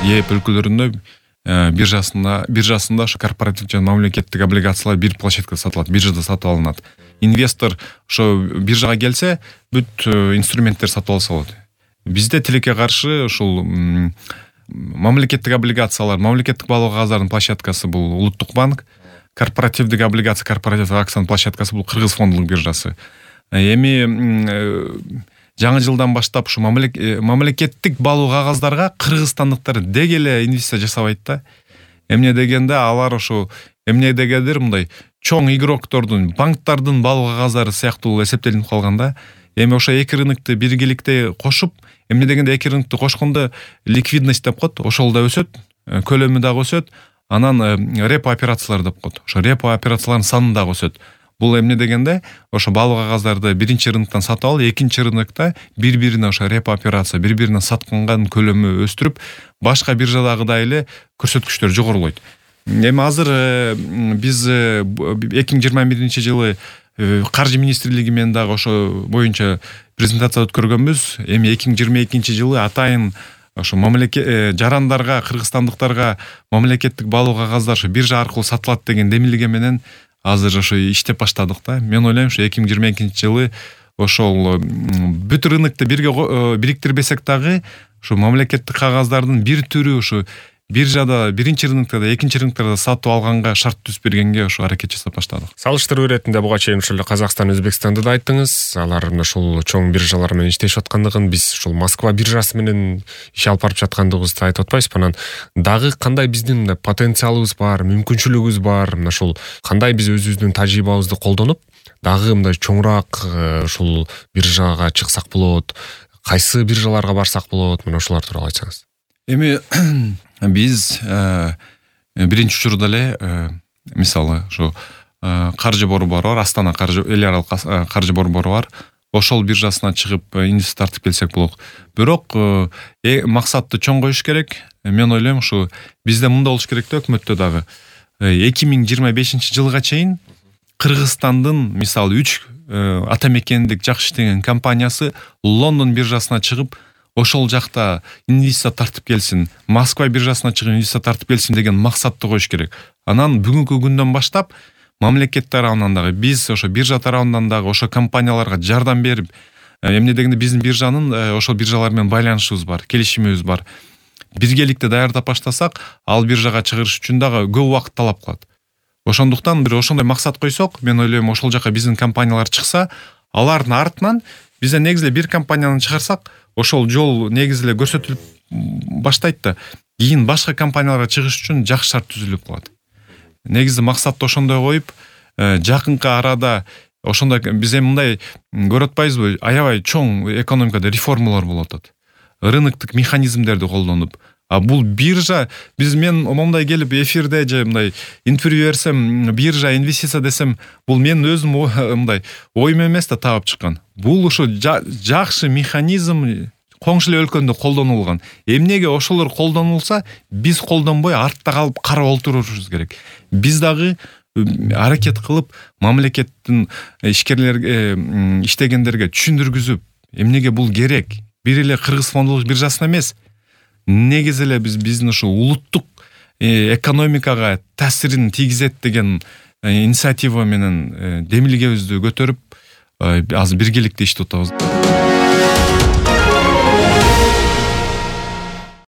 ЕЭП өлкөлөрүндө биржасында ошо корпоративдик жана мамлекеттик облигациялар бир площадкада сатылат, биржада сатып алынат. Инвестор ошо биржага келсе, бүт инструменттер сатып алса болот. Бизде тилекке каршы ушул мамлекеттик облигациялар, мамлекеттик баалуу кагаздардын площадкасы бул Улуттук банк, корпоративдик облигация, корпоративдик акциянын площадкасы бул Кыргыз фондулук биржасы. Эми жаңы жылдан баштап ушу мамлекеттик баалуу кагаздарга кыргызстандыктар деги эле инвестиция жасабайт да. Эмне дегенде алар ошо эмне дегендир мындай чоң игроктордун, банктардын баалуу кагаздары сыяктуу эсептелип калган да. Эми ошо эки рынокты биргеликте кошуп, эмне дегенде эки рынокты кошкондо ликвидность деп коет, ошол да өсөт, көлөмү дагы өсөт. Анан репо операциялар деп коет. Ошо репо операциялардын саны дагы өсөт. Бул эмне дегенде ошо баалуу кагаздарды биринчи рыноктон сатып алып, экинчи рынокто бири-бирине ошо репо операция, бири-бирине сатканганын көлөмү өстүрүп, башка биржадагыдай эле көрсөткүчтөр жогорулойт. Эми азыр биз 2021-жылы каржы министрлиги менен дагы ошо боюнча презентация өткөргөнбүз. Эми 2022-жылы атайын ошо жарандарга, кыргызстандыктарга мамлекеттик баалуу кагаздар ошо биржа аркылуу сатылат деген демилге менен азыр ошо иштеп баштадык да. Мен ойлойм, ошо 2022-жылы ошол бүт рынокты бирге бириктирбесек дагы ошо мамлекеттик кагаздардын бир түрү ошо биржада биринчи рынокто да, экинчи рыноктордо сатып алганга шарт түзүп бергенге ошо аракет жасап баштадык. Салыштыруу иретинде буга чейин ошол Казакстан, Өзбекстанды да айттыңыз. Алардын ошол чоң биржалар менен иштешип аткандыгын, биз ошол Москва биржасы менен иш алып барып жаткандыгыбызды айтып атпайсызбы? Анан дагы кандай биздин потенциалыбыз бар, мүмкүнчүлүгүбүз бар? Мына ошол кандай биз өзүбүздүн тажрыйбабызды колдонуп, дагы мындай чоңураак ушул биржага чыксак болот, кайсы биржаларга барсак болот? Мына ошолар тууралуу айтсаңыз. Эми биз биринчи учурда эле мисалы ошо каржы борбору бар, Астана каржы эл аралык каржы борбору бар. Ошол биржасына чыгып инвестиция тартып келсек болот. Бирок максатты чоң коюш керек. Мен ойлойм, ушу бизде мындай болуш керек да, өкмөттө дагы 2025-жылга чейин Кыргызстандын мисалы 3 ата мекендик жакшы иштеген компаниясы Лондон биржасына чыгып, ошол жакта инвестиция тартып келсин, Москва биржасына чыгып инвестиция тартып келсин деген максатты коюш керек. Анан бүгүнкү күндөн баштап мамлекет тарабынан дагы, биз ошо биржа тарабынан дагы ошо компанияларга жардам берип, эмне дегенде биздин биржанын ошол биржалар менен байланышыбыз бар, келишимибиз бар. Биргеликте даярдап баштасак, ал биржага чыгыш үчүн дагы көп убакыт талап кылат. Ошондуктан бир ошондой максат койсок, мен ойлойм, ошол жака биздин компаниялар чыкса, алардын артынан бизде негизи бир компанияны чыгарсак, ошол жол негизи эле көрсөтүлүп баштайт да, кийин башка компанияларга чыгыш үчүн жакшы шарт түзүлүп калат. Негизи максатты ошондой коюп, жакынкы арада ошондой биз эми мындай көрүп атпайбызбы, аябай чоң экономикада реформалар болуп атат. Рыноктук механизмдерди колдонуп, бул биржа, мен момундай келип эфирде же мындай интервью берсем, биржа инвестиция десем, бул мен өзүм мындай оюм эмес да таап чыккан. Бул ушу жакшы механизм коңшу эле өлкөндө колдонулган. Эмнеге ошолор колдонулса, биз колдонбой артта калып карап отурушубуз керек. Биз дагы аракет кылып мамлекеттин ишкерлерге, иштегендерге түшүндүргүзүп, эмнеге бул керек? Бир эле Кыргыз фондулук биржасына эмес, негизи эле биздин ушу улуттук экономикага таасирин тийгизет деген инициатива менен демилгебизди көтөрүп, азыр биргеликте иштеп атабыз.